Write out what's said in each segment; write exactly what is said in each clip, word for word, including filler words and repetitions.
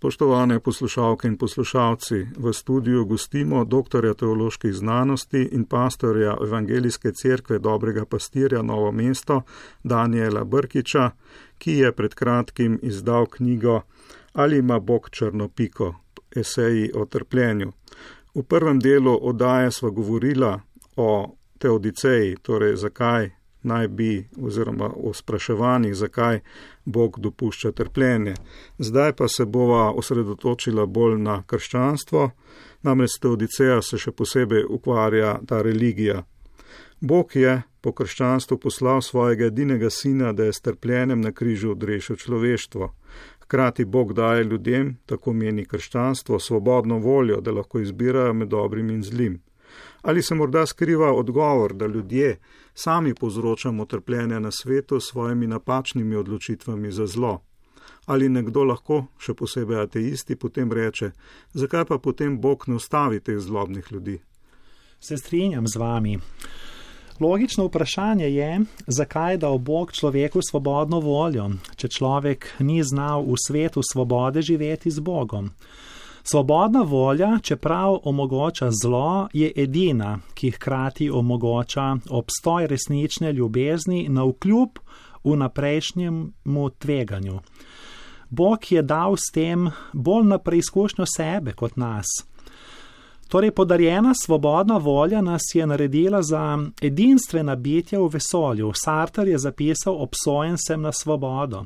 Spoštovane poslušalke in poslušalci, v studiu gostimo doktorja teoloških znanosti in pastorja Evangelijske cerkve Dobrega pastirja Novo mesto Danijela Brkiča, ki je pred kratkim izdal knjigo Ali ima Bog črno piko? Eseji o trpljenju. V prvem delu oddaje sva govorila o teodiceji, torej zakaj naj bi, oziroma o spraševanjih, zakaj Bog dopušča trpljenje. Zdaj pa se bova osredotočila bolj na krščanstvo, namreč teodiceja se še posebej ukvarja ta religija. Bog je po krščanstvu poslal svojega edinega sina, da je s trpljenjem na križu odrešil človeštvo. Hkrati Bog daje ljudem, tako meni krščanstvo, svobodno voljo, da lahko izbirajo med dobrim in zlim. Ali se morda skriva odgovor, da ljudje sami povzročamo trpljenje na svetu s svojimi napačnimi odločitvami za zlo? Ali nekdo lahko, še posebej ateisti, potem reče, zakaj pa potem Bog ne ustavi teh zlobnih ljudi? Se strinjam z vami. Logično vprašanje je, zakaj dal Bog človeku svobodno voljo, če človek ni znal v svetu svobode živeti z Bogom. Svobodna volja, čeprav omogoča zlo, je edina, ki hkrati omogoča obstoj resnične ljubezni navkljub vnaprejšnjemu tveganju. Bog je dal s tem bolj na preizkušnjo sebe kot nas. Torej, podarjena svobodna volja nas je naredila za edinstvena bitja v vesolju. Sartre je zapisal, obsojen sem na svobodo.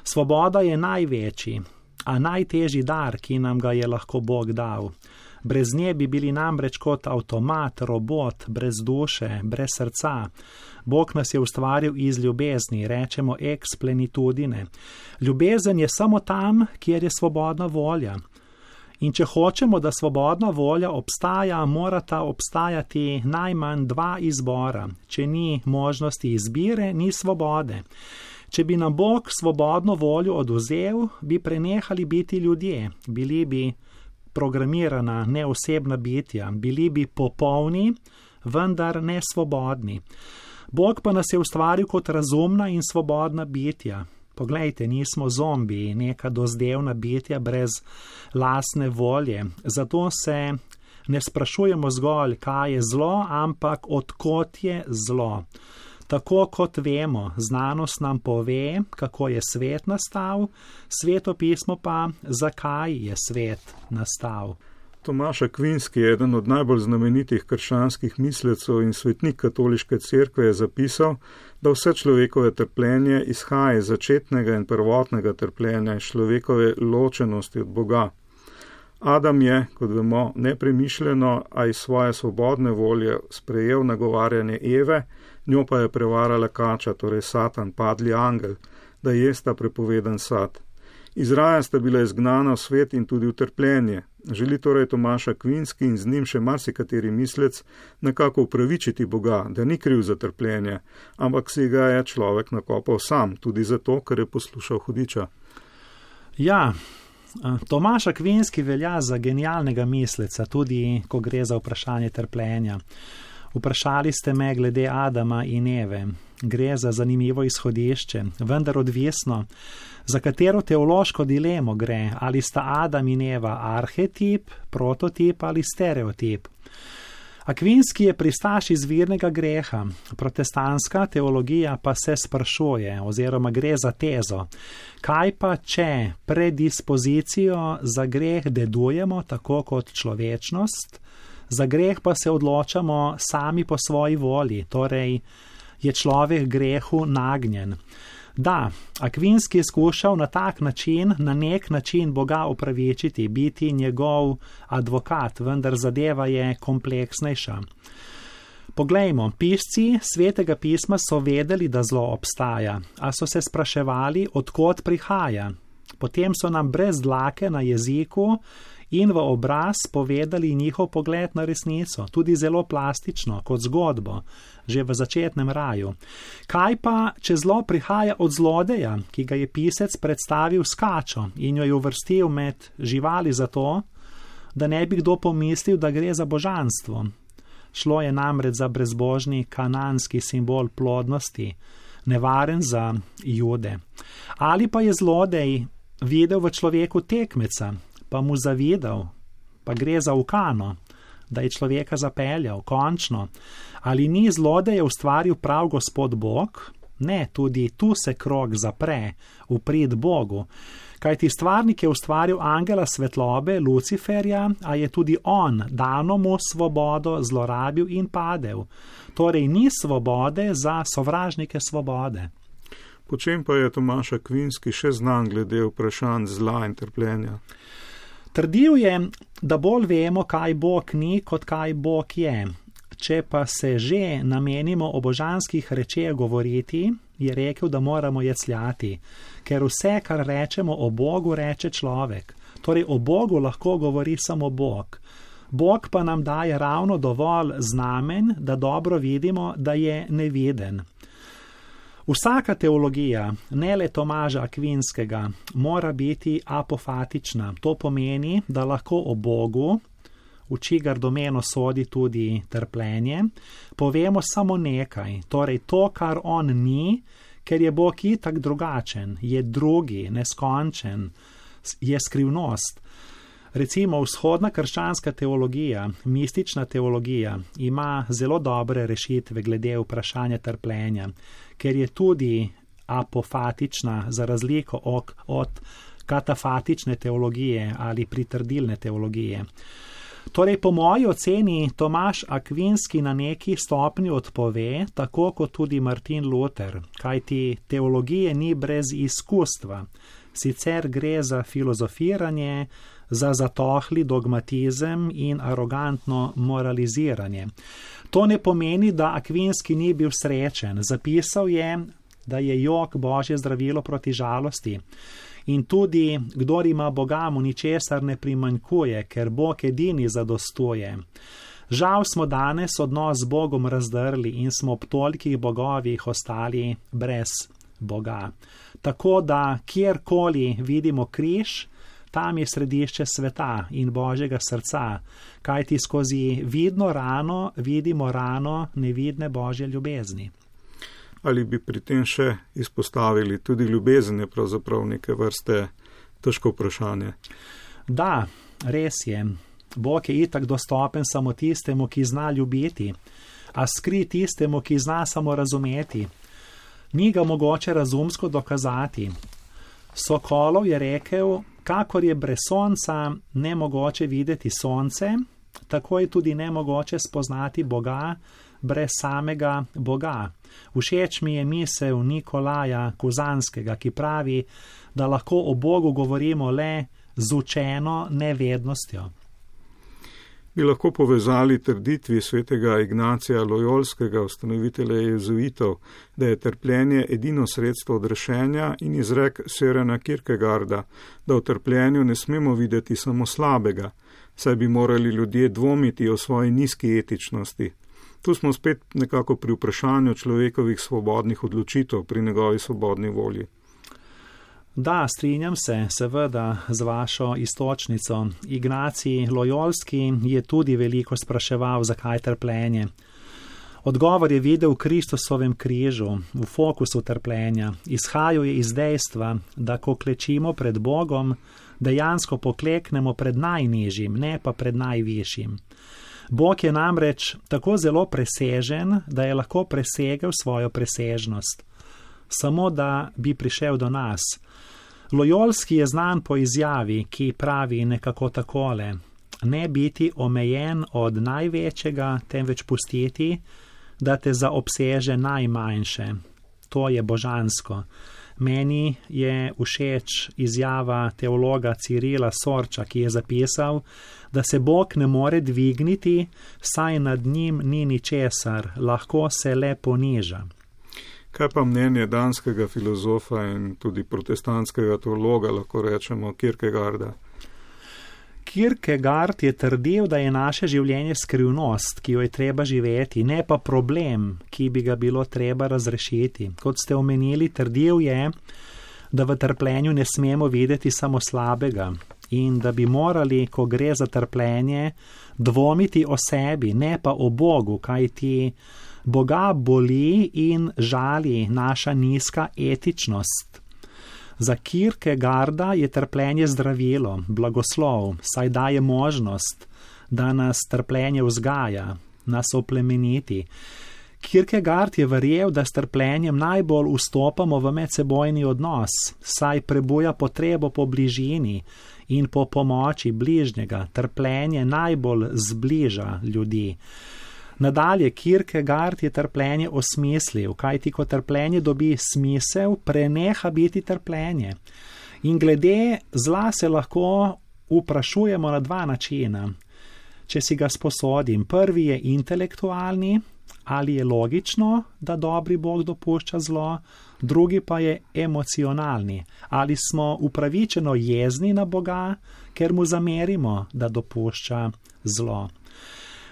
Svoboda je največji, a najtežji dar, ki nam ga je lahko Bog dal. Brez nje bi bili namreč kot avtomat, robot, brez duše, brez srca. Bog nas je ustvaril iz ljubezni, rečemo ex plenitudine. Ljubezen je samo tam, kjer je svobodna volja. In če hočemo, da svobodna volja obstaja, morata obstajati najmanj dva izbora. Če ni možnosti izbire, ni svobode. Če bi nam Bog svobodno voljo odvzel, bi prenehali biti ljudje, bili bi programirana neosebna bitja, bili bi popolni, vendar ne svobodni. Bog pa nas je ustvaril kot razumna in svobodna bitja. Poglejte, nismo zombiji, neka dozdevna bitja brez lastne volje. Zato se ne sprašujemo zgolj, kaj je zlo, ampak odkot je zlo. Tako kot vemo, znanost nam pove, kako je svet nastal, svetopismo pa, zakaj je svet nastal. Tomaš Akvinski, eden od najbolj znamenitih krščanskih mislecev in svetnik katoliške cerkve, je zapisal, da vse človekove trpljenje izhaja iz začetnega in prvotnega trpljenja in človekove ločenosti od Boga. Adam je, kot vemo, nepremišljeno, a iz svoje svobodne volje sprejel nagovarjanje Eve, njo pa je prevarala kača, torej Satan, padli angel, da jesta prepovedan sad. Iz raja sta bila izgnana v svet in tudi v trpljenje. Želi torej Tomaš Akvinski in z njim še marsikateri mislec nekako upravičiti Boga, da ni kriv za trpljenje, ampak si ga je človek nakopal sam, tudi zato, ker je poslušal hudiča. Ja, Tomaš Akvinski velja za genialnega misleca, tudi ko gre za vprašanje trpljenja. Vprašali ste me glede Adama in Eve. Gre za zanimivo izhodišče, vendar odvisno, za katero teološko dilemo gre, ali sta Adam in Eva arhetip, prototip ali stereotip. Akvinski je pristaš izvirnega greha, protestantska teologija pa se sprašuje, oziroma gre za tezo. Kaj pa, če predispozicijo za greh dedujemo tako kot človečnost, za greh pa se odločamo sami po svoji volji, torej je človek grehu nagnjen. Da, Akvinski je skušal na tak način, na nek način Boga upravičiti, biti njegov advokat, vendar zadeva je kompleksnejša. Poglejmo, pisci Svetega pisma so vedeli, da zlo obstaja, a so se spraševali, odkot prihaja. Potem so nam brez dlake na jeziku in v obraz povedali njihov pogled na resnico, tudi zelo plastično, kot zgodbo, že v začetnem raju. Kaj pa, če zlo prihaja od zlodeja, ki ga je pisec predstavil s kačo in jo je uvrstil med živali zato, da ne bi kdo pomislil, da gre za božanstvo? Šlo je namreč za brezbožni kananski simbol plodnosti, nevaren za Jude. Ali pa je zlodej videl v človeku tekmeca, pa mu zavidal, pa gre za ukano, da je človeka zapeljal, končno. Ali ni zlodeje ustvaril prav Gospod Bog? Ne, tudi tu se krog zapre, v prid Bogu. Kajti stvarnik je ustvaril angela svetlobe, Luciferja, a je tudi on dano mu svobodo zlorabil in padel. Torej ni svobode za sovražnike svobode. Po čem pa je Tomaž Akvinski še znan glede vprašanj zla in trpljenja? Trdil je, da bolj vemo, kaj Bog ni, kot kaj Bog je. Če pa se že namenimo o božanskih rečeh govoriti, je rekel, da moramo jecljati, ker vse, kar rečemo o Bogu, reče človek. Torej o Bogu lahko govori samo Bog. Bog pa nam daje ravno dovolj znamen, da dobro vidimo, da je neviden. Vsaka teologija, ne le Tomaža Akvinskega, mora biti apofatična. To pomeni, da lahko o Bogu, v čigar domeno sodi tudi trpljenje, povemo samo nekaj, torej to, kar on ni, ker je Bog itak drugačen, je drugi, neskončen, je skrivnost. Recimo vzhodna krščanska teologija, mistična teologija, ima zelo dobre rešitve glede vprašanja trpljenja, ker je tudi apofatična za razliko od, od katafatične teologije ali pritrdilne teologije. Torej, po moji oceni Tomaž Akvinski na neki stopnji odpove, tako kot tudi Martin Luther, kajti teologije ni brez izkustva. Sicer gre za filozofiranje, za zatohli dogmatizem in arogantno moraliziranje. To ne pomeni, da Akvinski ni bil srečen. Zapisal je, da je jok Božje zdravilo proti žalosti. In tudi, kdor ima Boga, mu ničesar ne primanjkuje, ker Bog edini zadostuje. Žal smo danes odnos z Bogom razdrli in smo ob tolikih bogovih ostali brez Boga. Tako da, kjerkoli vidimo križ, tam je središče sveta in Božjega srca, kajti skozi vidno rano vidimo rano nevidne Božje ljubezni. Ali bi pri tem še izpostavili tudi ljubezen, je pravzaprav neke vrste težko vprašanje? Da, res je. Bog je itak dostopen samo tistemu, ki zna ljubiti, a skri tistemu, ki zna samo razumeti. Ni ga mogoče razumsko dokazati. Sokolov je rekel, kakor je brez sonca nemogoče videti sonce, tako je tudi nemogoče spoznati Boga brez samega Boga. Všeč mi je misel Nikolaja Kuzanskega, ki pravi, da lahko o Bogu govorimo le z učeno nevednostjo. Bi lahko povezali trditvi svetega Ignacija Lojolskega, ustanovitelja jezuitov, da je trpljenje edino sredstvo odrešenja, in izrek Sørena Kierkegaarda, da v trpljenju ne smemo videti samo slabega, saj bi morali ljudje dvomiti o svoji nizki etičnosti. Tu smo spet nekako pri vprašanju človekovih svobodnih odločitev, pri njegovi svobodni volji. Da, strinjam se, seveda, z vašo istočnico. Ignacij Lojolski je tudi veliko spraševal, zakaj trpljenje. Odgovor je videl v Kristusovem križu, v fokusu trpljenja. Izhajal je iz dejstva, da ko klečimo pred Bogom, dejansko pokleknemo pred najnižjim, ne pa pred najvišjim. Bog je namreč tako zelo presežen, da je lahko presegel svojo presežnost. Samo da bi prišel do nas. Lojolski je znan po izjavi, ki pravi nekako takole: ne biti omejen od največjega, temveč pustiti, da te zaobseže najmanjše. To je božansko. Meni je všeč izjava teologa Cirila Sorča, ki je zapisal, da se Bog ne more dvigniti, saj nad njim ni ničesar, lahko se le poniža. Kaj pa mnenje danskega filozofa in tudi protestantskega teologa, lahko rečemo, Kierkegaarda? Kierkegaard je trdil, da je naše življenje skrivnost, ki jo je treba živeti, ne pa problem, ki bi ga bilo treba razrešiti. Kot ste omenili, trdil je, da v trpljenju ne smemo videti samo slabega in da bi morali, ko gre za trpljenje, dvomiti o sebi, ne pa o Bogu, kajti Boga boli in žali naša nizka etičnost. Za Kierkegaarda je trpljenje zdravilo, blagoslov, saj daje možnost, da nas trpljenje vzgaja, nas oplemeniti. Kierkegaard je verjel, da s trpljenjem najbolj vstopamo v medsebojni odnos, saj prebuja potrebo po bližini in po pomoči bližnjega. Trpljenje najbolj zbliža ljudi. Nadalje, Kierkegaard je trpljenje osmislil, kajti ko trpljenje dobi smisel, preneha biti trpljenje. In glede zla se lahko vprašujemo na dva načina. Če si ga sposodim, prvi je intelektualni, ali je logično, da dobri Bog dopušča zlo, drugi pa je emocionalni, ali smo upravičeno jezni na Boga, ker mu zamerimo, da dopušča zlo.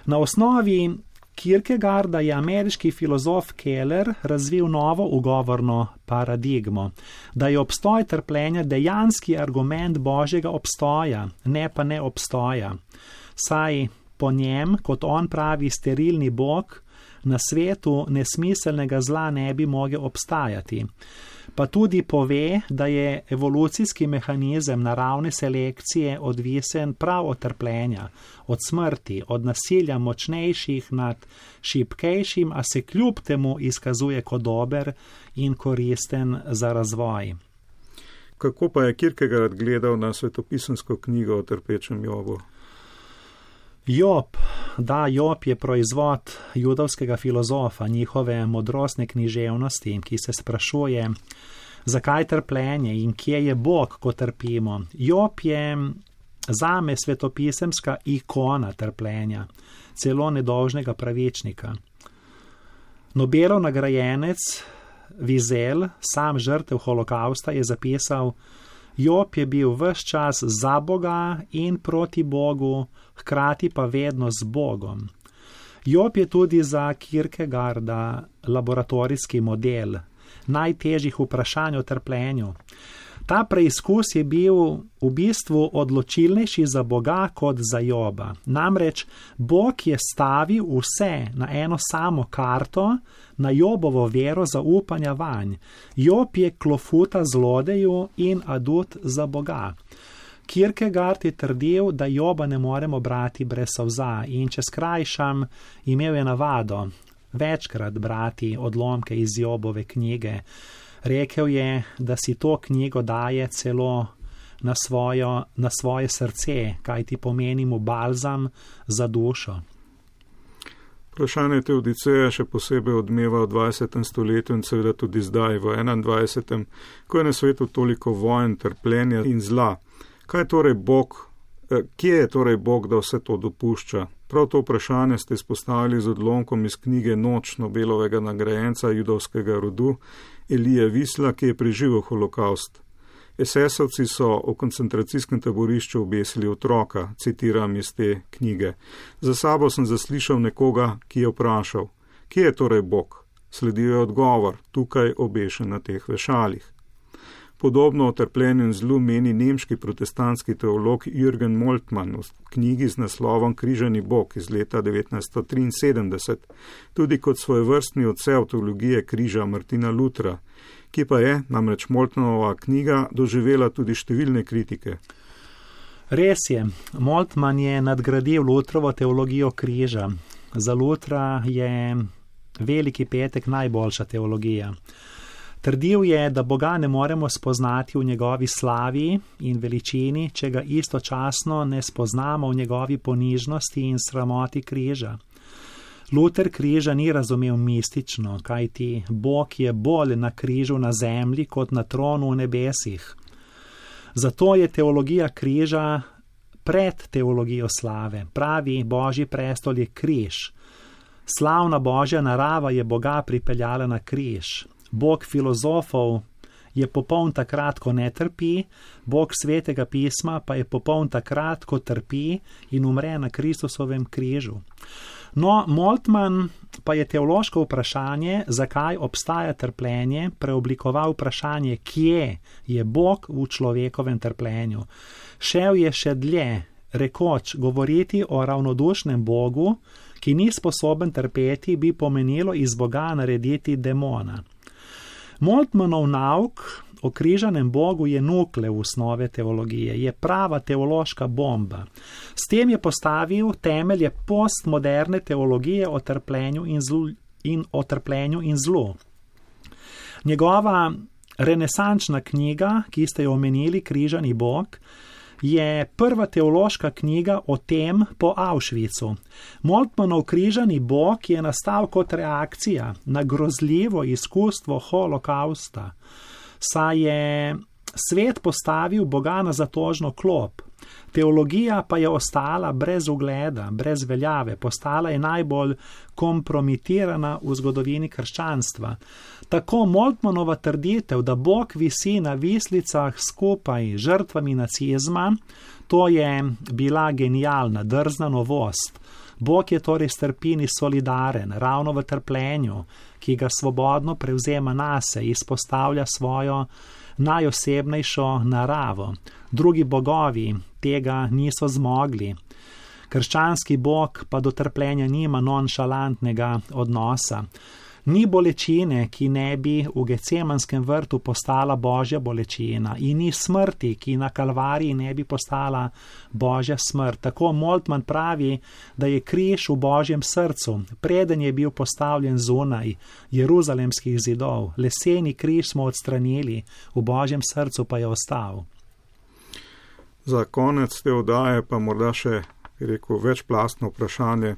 Na osnovi Kierkegaarda je ameriški filozof Keller razvil novo ugovorno paradigmo, da je obstoj trpljenja dejanski argument Božjega obstoja, ne pa ne obstoja. Saj po njem, kot on pravi, sterilni Bog, na svetu nesmiselnega zla ne bi mogel obstajati. Pa tudi pove, da je evolucijski mehanizem naravne selekcije odvisen prav od trpljenja, od smrti, od nasilja močnejših nad šibkejšim, a se kljub temu izkazuje kot dober in koristen za razvoj. Kako pa je Kierkegaard gledal na svetopisemsko knjigo o trpečem Jobu? Job, da, Job je proizvod judovskega filozofa, njihove modrostne književnosti, ki se sprašuje, zakaj trpljenje in kje je Bog, ko trpimo. Job je zame svetopisemska ikona trpljenja, celo nedolžnega pravičnika. Nobelov nagrajenec Wiesel, sam žrtev holokausta, je zapisal: Job je bil ves čas za Boga in proti Bogu, hkrati pa vedno z Bogom. Job je tudi za Kierkegaarda laboratorijski model najtežjih vprašanj o trpljenju. Ta preizkus je bil v bistvu odločilnejši za Boga kot za Joba. Namreč Bog je stavil vse na eno samo karto, na Jobovo vero zaupanja vanj. Job je klofuta zlodeju in adut za Boga. Kierkegaard je trdil, da Joba ne moremo brati brez solza, in če skrajšam, imel je navado večkrat brati odlomke iz Jobove knjige. Rekel je, da si to knjigo daje celo na, svojo, na svoje srce, kaj ti pomeni mu balzam za dušo. Vprašanje teodiceje še posebej odmeva v dvajsetem stoletju in seveda tudi zdaj v enaindvajsetem, ko je na svetu toliko vojn, trpljenja in zla. Kaj je torej Bog, kje je torej Bog, da vse to dopušča? Prav to vprašanje ste izpostavili z odlomkom iz knjige Noč Nobelovega nagrajenca judovskega rodu Elije Wiesla, ki je preživel holokaust. Esesovci so v koncentracijskem taborišču obesili otroka, citiram iz te knjige. Za sabo sem zaslišal nekoga, ki je vprašal, kje je torej Bog? Sledil je odgovor, tukaj obešen na teh vešalih. Podobno o trpljenju in zlu meni nemški protestantski teolog Jürgen Moltmann v knjigi z naslovom Križani Bog iz leta devetnajststo triinsedemdeset, tudi kot svojevrstni odsev teologije križa Martina Lutra, ki pa je, namreč Moltmannova knjiga, doživela tudi številne kritike. Res je, Moltmann je nadgradil Lutrovo teologijo križa. Za Lutra je Veliki petek najboljša teologija. Trdil je, da Boga ne moremo spoznati v njegovi slavi in veličini, če ga istočasno ne spoznamo v njegovi ponižnosti in sramoti križa. Luter križa ni razumel mistično, kajti Bog je bolj na križu na zemlji kot na tronu v nebesih. Zato je teologija križa pred teologijo slave. Pravi, Božji prestol je križ. Slavna Božja narava je Boga pripeljala na križ. Bog filozofov je popoln takrat, ko ne trpi, Bog svetega pisma pa je popoln takrat, ko trpi in umre na Kristusovem križu. No, Moltmann pa je teološko vprašanje, zakaj obstaja trpljenje, preoblikoval vprašanje, kje je Bog v človekovem trpljenju. Šel je še dlje, rekoč, govoriti o ravnodušnem Bogu, ki ni sposoben trpeti, bi pomenilo iz Boga narediti demona. Moltmannov nauk o križanem Bogu je nukleus nove teologije, je prava teološka bomba. S tem je postavil temelje postmoderne teologije o trpljenju in, zlu, in, o trpljenju in zlu. Njegova renesančna knjiga, ki ste jo omenili, Križani Bog, je prva teološka knjiga o tem po Auschwitzu. Moltmannov Križani Bog je nastal kot reakcija na grozljivo izkustvo holokausta, saj je svet postavil Boga na zatožno klop. Teologija pa je ostala brez ugleda, brez veljave, postala je najbolj kompromitirana v zgodovini krščanstva. Tako Moltmannova trditev, da Bog visi na vislicah skupaj z žrtvami nacizma, to je bila genialna, drzna novost. Bog je torej s trpini solidaren, ravno v trpljenju, ki ga svobodno prevzema nase, izpostavlja svojo najosebnejšo naravo. Drugi bogovi tega niso zmogli. Krščanski bog pa do trpljenja nima nonšalantnega odnosa. Ni bolečine, ki ne bi v Gecemanskem vrtu postala božja bolečina, in ni smrti, ki na Kalvariji ne bi postala božja smrt. Tako Moltmann pravi, da je križ v božjem srcu, preden je bil postavljen zunaj jeruzalemskih zidov. Leseni križ smo odstranili, v božjem srcu pa je ostal. Za konec te oddaje pa morda še, rekel, večplastno vprašanje.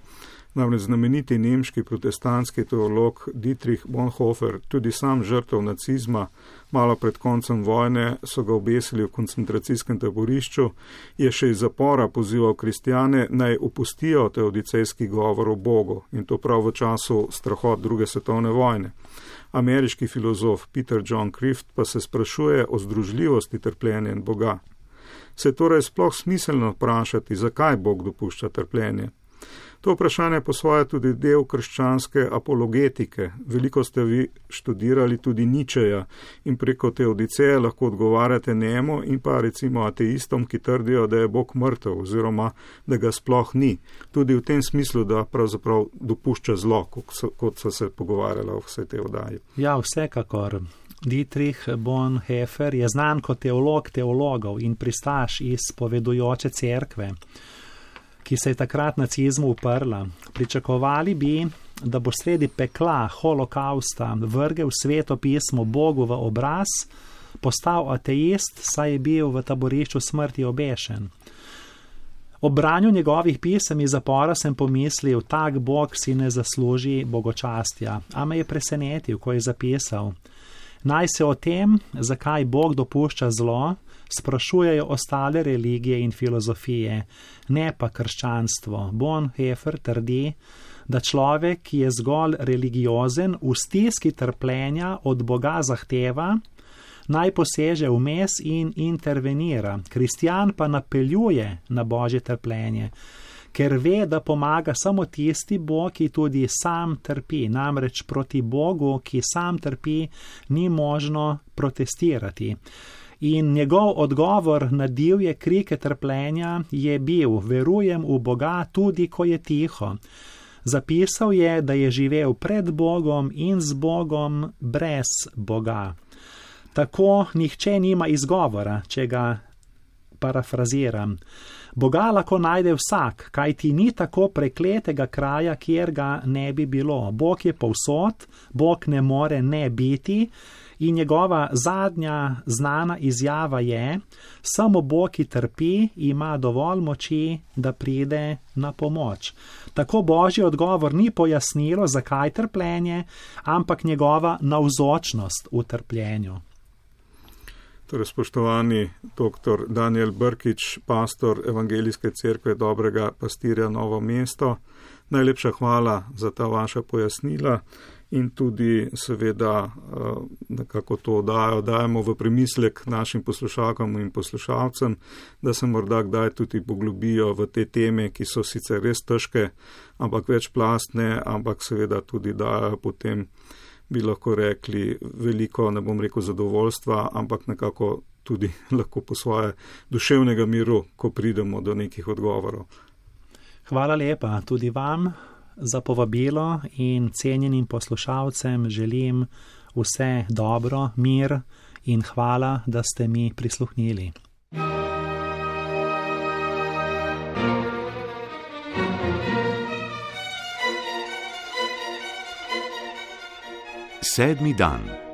Namreč znameniti nemški protestantski teolog Dietrich Bonhoeffer, tudi sam žrtev nacizma, malo pred koncem vojne so ga obesili v koncentracijskem taborišču, je še iz zapora pozival kristjane naj opustijo teodicejski govor o Bogu, in to prav v času strahot druge svetovne vojne. Ameriški filozof Peter John Crift pa se sprašuje o združljivosti trpljenja in Boga. Se torej sploh smiselno vprašati, zakaj Bog dopušča trpljenje? To vprašanje po svoje tudi del krščanske apologetike. Veliko ste vi študirali tudi Ničeja in preko teodiceje lahko odgovarjate njemu in pa recimo ateistom, ki trdijo, da je Bog mrtev oziroma da ga sploh ni. Tudi v tem smislu, da pravzaprav dopušča zlo, kot so se pogovarjala v vse te oddaji. Ja, vsekakor. Dietrich Bonhoeffer je znan kot teolog teologov in pristaš izpovedujoče cerkve, ki se je takrat nacizmu uprla. Pričakovali bi, da bo sredi pekla holokausta vrgel sveto pismo Bogu v obraz, postal ateist, saj je bil v taborišču smrti obešen. Ob branju njegovih pisem iz zapora sem pomislil, tak Bog si ne zasluži bogočastja, a me je presenetil, ko je zapisal: naj se o tem, zakaj Bog dopušča zlo, sprašujejo ostale religije in filozofije, ne pa krščanstvo. Bonhoeffer trdi, da človek, ki je zgolj religiozen, v stiski trpljenja od Boga zahteva, naj poseže vmes in intervenira. Kristjan pa napeljuje na božje trpljenje, ker ve, da pomaga samo tisti Bog, ki tudi sam trpi. Namreč proti Bogu, ki sam trpi, ni možno protestirati. In njegov odgovor na divje krike trpljenja je bil: verujem v Boga tudi, ko je tiho. Zapisal je, da je živel pred Bogom in z Bogom brez Boga. Tako nihče nima izgovora, če ga parafraziram. Boga lahko najde vsak, kajti ni tako prekletega kraja, kjer ga ne bi bilo. Bog je povsod, Bog ne more ne biti, in njegova zadnja znana izjava je: samo Bog, ki trpi, ima dovolj moči, da pride na pomoč. Tako božji odgovor ni pojasnilo, zakaj trpljenje, ampak njegova navzočnost v trpljenju. Torej, spoštovani doktor Daniel Brkič, pastor Evangelijske cerkve Dobrega pastirja Novo mesto, najlepša hvala za ta vaša pojasnila in tudi seveda nekako to oddajo dajemo v premislek našim poslušalkam in poslušalcem, da se morda kdaj tudi poglobijo v te teme, ki so sicer res težke, ampak večplastne, ampak seveda tudi dajo potem, bi lahko rekli, veliko, ne bom rekel zadovoljstva, ampak nekako tudi lahko po svoje duševnega miru, ko pridemo do nekih odgovorov. Hvala lepa tudi vam za povabilo in cenjenim poslušalcem želim vse dobro, mir in hvala, da ste mi prisluhnili. Sedmi dan.